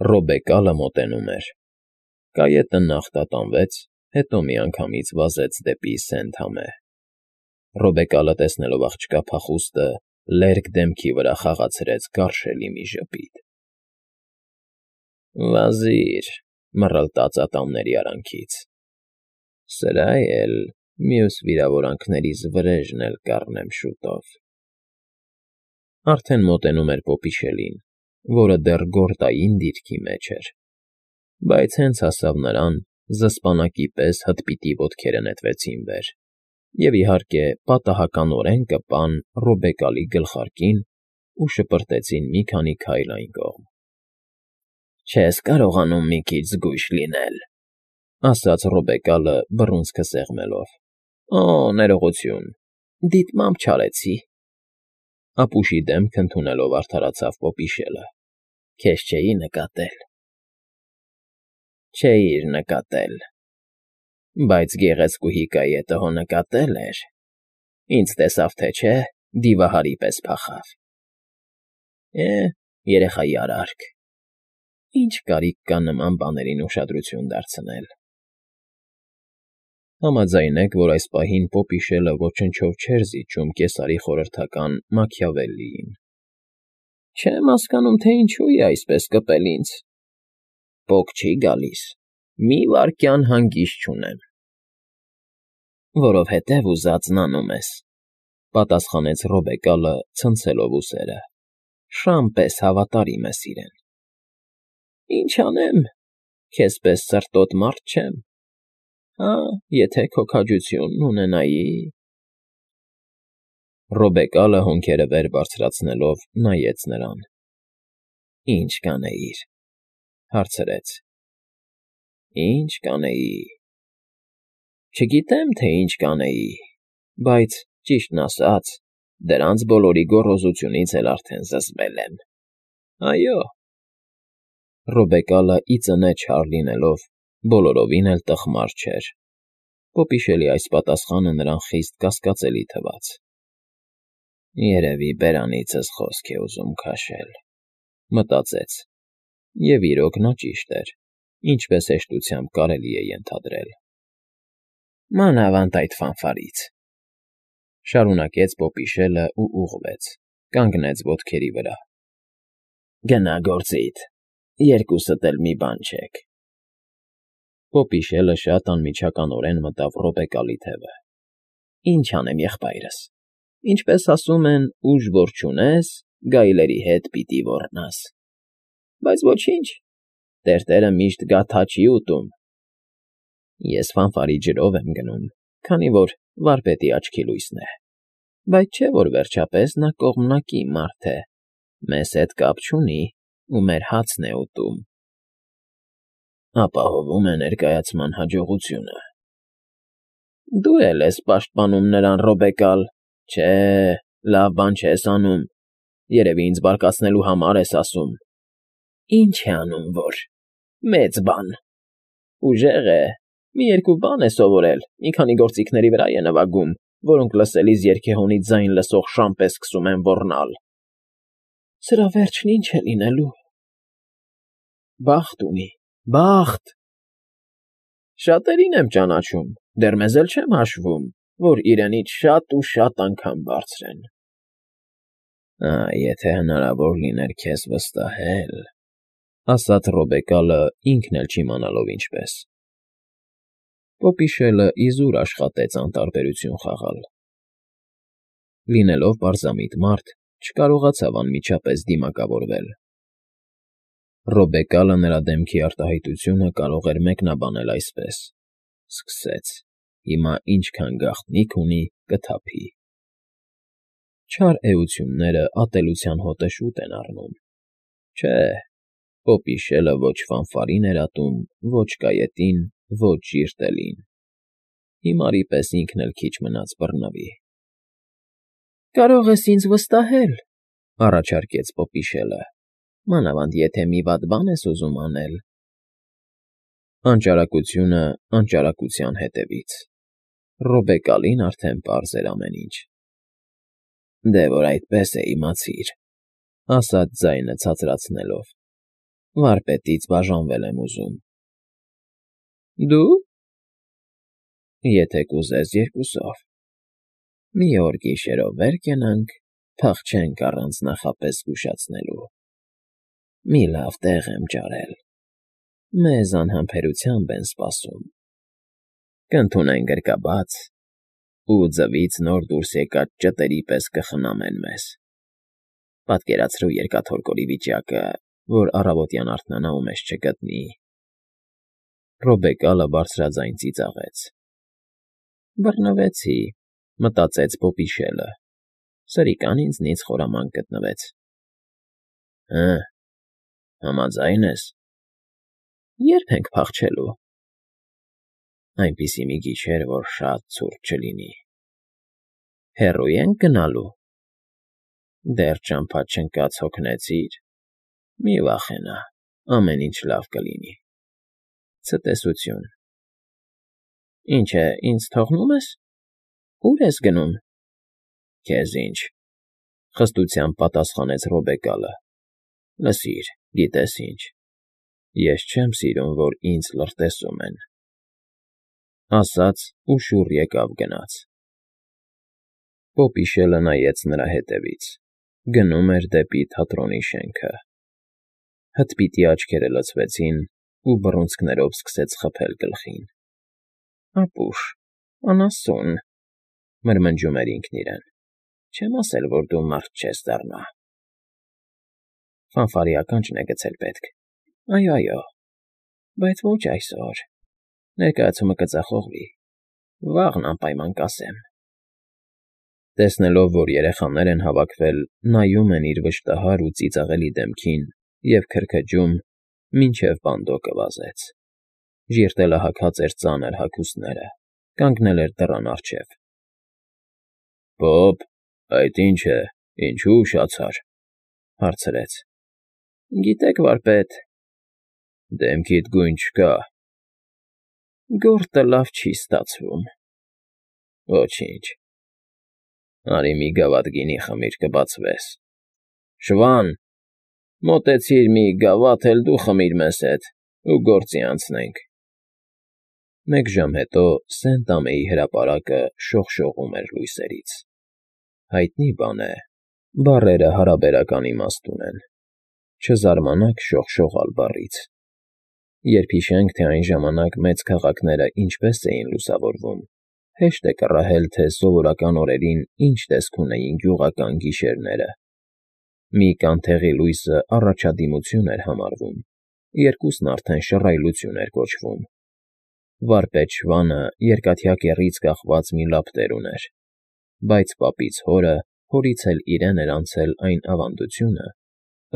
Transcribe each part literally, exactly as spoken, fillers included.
Ռոբեկալը մոտենում էր։ Կայետը նախ տատանվեց, հետո միանգամից վազեց դեպի Սենթ-Համե։ Ռոբեկալը, տեսնելով աղջկա փախուստը, լերկ դեմքի վրա խաղացրեց գարշելի մի ժպիտ։ ֊ Վազիր,֊ մռլտաց ատամների արանքից,֊ սրա էլ մյուս վիրավորանքներիս վրեժն էլ կառնեմ շուտով… Արդեն մոտենում էր պոպիշելին, որը դեռ գորտային դիրքի մեջ էր, բայց հենց հասավ նրան, զսպանակի պես հտպիտի ոտքերը նետվեցին վեր և, իհարկե, պատահականորեն կպան Ռոբեկալի գլխարկին ու շպրտեցին մի քանի քայլ այն կողմ։ ֊ Չես կարողանում մի քիչ զգույշ լինել,֊ ասաց Ռոբեկալը բռունցքը սեղմելով։ ֊ Օ՜, ներողություն, դիտմամբ չարեցի,֊ ապուշի դեմք ընդունելով արդարացավ պոպիշելը։֊ Քեզ չէի նկատել։ ֊ Չէիր նկատել, բայց գեղեցկուհի կայետը հո նկատել էր, ինձ տեսավ թե չէ, դիվահարի պես փախավ։ Է՜, երեխայի արարք, ինչ կարիք կա նման բաներին ուշադրություն դարձնել… Համաձայնեք, որ այս պահին պոպիշելը ոչնչով չէր զիջում կեսարի խորհրդական Մաքիավելլիին։ ֊ Չեմ հասկանում, թե ինչու է այսպես կպել ինձ… Պոկ չի գալիս, մի վայրկյան հանգիստ չունեմ։ ֊ Որովհետև ուզածն անում ես,֊ պատասխանեց Ռոբեկալը, ցնցելով ուսերը։֊ Շան պես հավատարիմ ես իրեն։ ֊ Ինչ անեմ, քեզ պես սրտոտ մարդ չեմ… Հա, եթե քո քաջությունն ունենայի… Ռոբեկալը հոնքերը վեր բարձրացնելով նայեց նրան։ ֊ Ի՞նչ կանեիր,֊ հարցրեց։ ֊ Ի՞նչ կանեի… Չգիտեմ, թե ինչ կանեի, բայց, ճիշտն ասած, դրանց բոլորի գոռոզությունից էլ արդեն զզվել եմ… Այո… Ռոբեկալը ի ծնե չար լինելով, բոլորովին էլ տխմար չէր։ Պոպիշելի այս պատասխանը նրան խիստ կասկածելի թվաց։ «Երևի բերանիցս խոսք է ուզում քաշել,֊ մտածեց, և, իրոք, նա ճիշտ էր, ինչպես հեշտությամբ կարելի է ենթադրել։ ֊ Մանավանդ այդ ֆանֆարից,֊ շարունակեց պոպիշելն ու ուղղվեց, կանգնեց ոտքերի վրա։ ֊ Գնա գործիդ, երկուսդ էլ մի բան չեք… Պոպիշելը շատ անմիջականորեն մտավ Ռոբեկալի թևը։ ֊ Ինչ անեմ, եղբայրս… Ինչպես ասում են, ուժ որ չունես, գայլերի հետ պիտի ոռնաս… Բայց ոչինչ, տերտերը միշտ գաթա չի ուտում… Ես ֆանֆարի ջրով եմ գնում, քանի որ վարպետի աչքի լույսն է, բայց չէ՞ որ վերջապես նա կողմնակի մարդ է, մեզ հետ կապ չունի ու մեր հացն է ուտում… Ապահովում է ներկայացման հաջողությունը… Դու էլ ես պաշտպանում նրան, Ռոբեկալ… Չէ, լավ բան չես անում, երևի ինձ բարկացնելու համար ես ասում… Ինչ է անում որ… մեծ բան… Ուժեղ է, մի երկու բան է սովորել, մի քանի գործիքների վրա է նվագում, որոնք լսելիս երգեհոնից ձայն լսող շան պես սկսում են ոռնալ… Սրա վերջն ի՞նչ է լինելու… Բախտ ունի, բախտ… Շատերին եմ ճանաչում, դեռ մեզ էլ չեմ հաշվում, որ իրենից շատ ու շատ անգամ բարձր են… Ա՜, եթե հնարավոր լիներ քեզ վստահել,֊ ասաց Ռոբեկալը, ինքն էլ չիմանալով ինչպես։ Պոպիշելը իզուր աշխատեց անտարբերություն խաղալ։ Լինելով պարզամիտ մարդ, չկարողացավ անմիջապես դիմակավորվել։ Ռոբեկալը նրա դեմքի արտահայտությունը կարող էր մեկնաբանել այսպես. «Սկսեց, հիմա ինչքան գաղտնիք ունի, կթափի»։ Չար էությունները ատելության հոտը շուտ են առնում։ Չէ, պոպիշելը ոչ ֆանֆարին էր ատում, ոչ կայետին, ոչ ժիրտելին… Հիմարի պես ինքն էլ քիչ մնաց բռնվի։ ֊ Կարող ես ինձ վստահել,֊ առաջարկեց պոպիշելը,֊ մանավանդ եթե մի վատ բան ես ուզում անել… Անճարակությունը անճարակության հետևից… Ռոբեկալին արդեն պարզ էր ամեն ինչ։ ֊ Դե որ այդպես է, իմացիր,֊ ասաց ձայնը ցածրացնելով։ վարպետից բաժանվել եմ ուզում։ Դու։ Եթե կուզես երկուսով։ Մի օր գիշերով վեր կենանք, փախչենք առանց նախապես զգուշացնելու։ Մի լավ տեղ եմ ջարել։ Մեզ անհամբերությամբ են սպասում։ Կընդունեն գրկաբաց ու ձվից նոր դուրս եկած ճտերի պես կխնամեն մեզ։ Պատկերացրու երկաթորկորի վիճակը, որ առավոտյան արթնանա ու մեզ չգտնի։ Ռոբեկալը բարձրաձայն ծիծաղեց։ Բռնվեցի, մտածեց Պոպիշելը։ Սրիկան ինձնից խորամանկ գտնվեց։ Հը, համաձայն ես։ Ե՞րբ ենք փախչելու։ Այնպիսի մի գիշեր, որ շատ ցուրտ չլինի։ Հեռո՞ւ ենք գնալու։ Դեռ ճամփա չընկած հոգնեցիր։ Մի վախենա, ամեն ինչ լավ կլինի։ Ցտեսություն։ Ինչ է, ինձ թողնո՞ւմ ես։ Ո՞ւր ես գնում։ Քեզ ինչ, խստությամբ պատասխանեց Ռոբեկալը։ Լսիր, գիտես ինչ, ես չեմ սիրում, որ ինձ լրտեսում են։ Ասաց ու շուռ եկավ գնաց։ Պոպիշելը նայեց նրա հետևից։ Գնում էր դեպի թատրոնի շենքը։ Հտպիտի աչքերը լցվեցին ու բռունցքներով սկսեց խփել գլխին։ Ապուշ, անասուն, մրմնջում էր ինքն իրեն։ Չեմ ասել, որ դու մարդ չես դառնա։ Ֆանֆարի ականջն է գցել պետք։ Այո, այո, բայց ոչ այսօր։ Ներկայացումը կձախողվի։ Վաղն անպայման կասեմ։ Տեսնելով, որ երեխաներ են հավաքվել, նայում են իր վշտահար ու ծիծաղելի դեմքին և քրքջում, մինչև բանդոկը վազեց։ Ժիրտելը հագած էր ծանր հագուստները, կանգնել էր դռան առջև։ Պոպ, այդ ի՞նչ է, ինչու ուշացար, հարցրեց։ Գիտեք, վարպետ։ Դեմքիդ գույն չկա։ Գորտը լավ չի ստացվում։ Ոչինչ։ Արի մի գավաթ գինի խմիր, կբացվես։ Շվան, մոտեցիր մի գավաթ էլ դու խմիր մեզ հետ ու գործի անցնենք։ Մեկ ժամ հետո Սենտ֊Ամեի հրապարակը շողշողում էր լույսերից։ Հայտնի բան է, բառերը հարաբերական իմաստ ունեն։ Չզարմանաք շողշողալ բառից։ Երբ հիշենք, թե այն ժամանակ մեծ քաղաքները ինչպես էին լուսավորվում, հեշտ է կռահել, թե սովորական օրերին ինչ տեսք ունեին գյուղական գիշերները։ Մի կանթեղի լույսը առաջադիմություն էր համարվում, երկուսն արդեն շռայլություն էր կոչվում։ Վարպետ Շվանը երկաթյա կեռից կախված մի լապտեր ուներ, բայց պապից հորը, հորից էլ իրեն էր անցել այն ավանդությունը,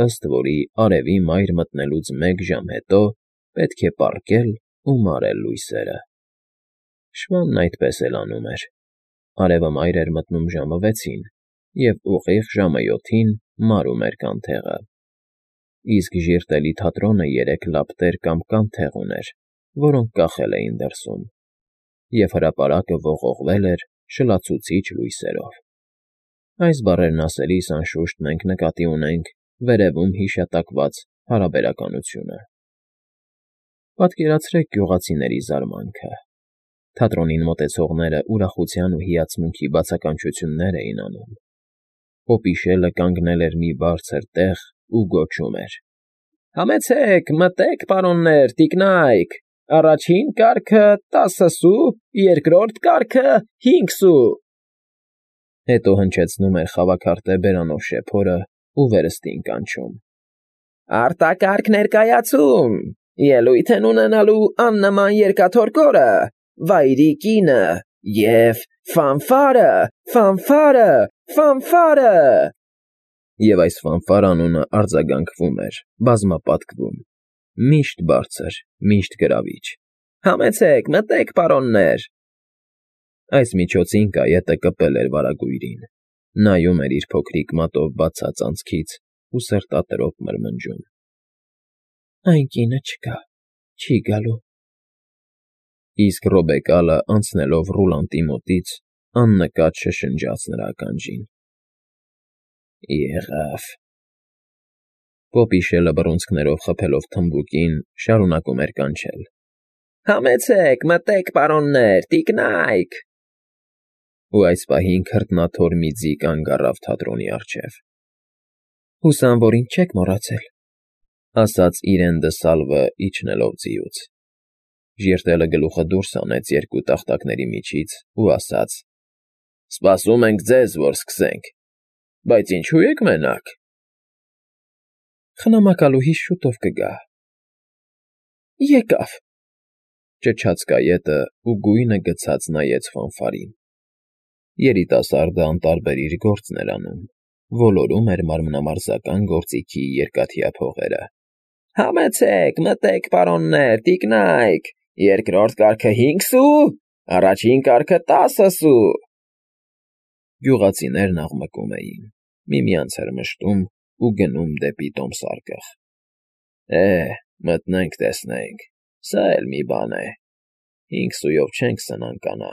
ըստ որի արևի մայր մտնելուց մեկ ժամ հետո պետք է պառկել ու մարել լույսերը։ Շվանն այդպես էլ անում էր։ Արևը մայր էր մտնում ժամը վեցին և ուղիղ ժամը յոթին մարում էր կանթեղը։ Իսկ ժիրտելի թատրոնը երեք լապտեր կամ կանթեղ ուներ, որոնք կախել էին դրսում, և հրապարակը ողողվել էր շլացուցիչ լույսերով։ Այս բառերն ասելիս, անշուշտ, մենք նկատի ունենք վերևում հիշատակված հարաբերականությունը։ Պատկերացրեք գյուղացիների զարմանքը։ Թատրոնին մոտեցողները ուրախության ու հիացմունքի բացականչություններ էին անում։ Պոպիշելը կանգնել էր մի բարձր տեղ ու գոչում էր. Համեցեք, մտեք, պարոններ, տիկնայք, առաջին կարգը տասը սու, երկրորդ կարգը հինգ սու։ Հետո հնչեցնում էր խավաքարտե բերանով շեփորը ու վերստին կանչում. Արտակարգ ներկայացում, ելույթ են ունենալու աննման երկաթորկորը, վայրի կինը և ֆանֆարը, ֆանֆարը, ֆանֆարը։ Եվ այս ֆանֆար անունը արձագանքվում էր, բազմապատկվում, միշտ բարձր, միշտ գրավիչ։ Համեցեք, մտեք, պարոններ։ Այս միջոցին կայետը կպել էր վարագույրին, նայում էր իր փոքրիկ մատով բացած անցքից ու սրտատրոփ մրմնջում. Այն կինը չկա, չի գալու։ Իսկ Ռոբեկալը, անցնելով Ռուլանտի մոտից, աննկատ շշնջաց նրա ականջին. Եղավ։ Պոպի շելը բռունցքներով խփելով թմբուկին, շարունակում էր կանչել. Համեցեք, մտեք, պարոններ, տիկնայք… Ու այս պահին քրտնաթոր մի ձի կանգ առավ թատրոնի առջև։ Հուսամ, որ ինձ չեք մոռացել, ասաց իրեն դը Սալվը իջնելով ձիուց։ Ժիրտելը գլուխը դուրս հանեց երկու տախտակների միջից ու ասաց. Սպասում ենք ձեզ, որ սկսենք, բայց ինչո՞ւ եք մենակ։ Խնամակալուհիս շուտով կգա։ Եկավ, ճչաց կայետը ու գույնը գցած նայեց ֆանֆարին։ Երիտասարդը անտարբեր իր գործն էր անում, ոլորում էր մարմնամարզական գործիքի երկաթյա փողերը։ Համեցեք, մտեք, պարոններ, տիկնայք, երկրորդ կարգը հինգ սու, առաջին կարգը տասը սու… Գյուղացիներն աղմկում էին, միմյանց էր մշտում ու գնում դեպի տոմսարկղ։ Է, մտնենք տեսնենք, սա էլ մի բան է, հինգ սուով չենք սնանկանա։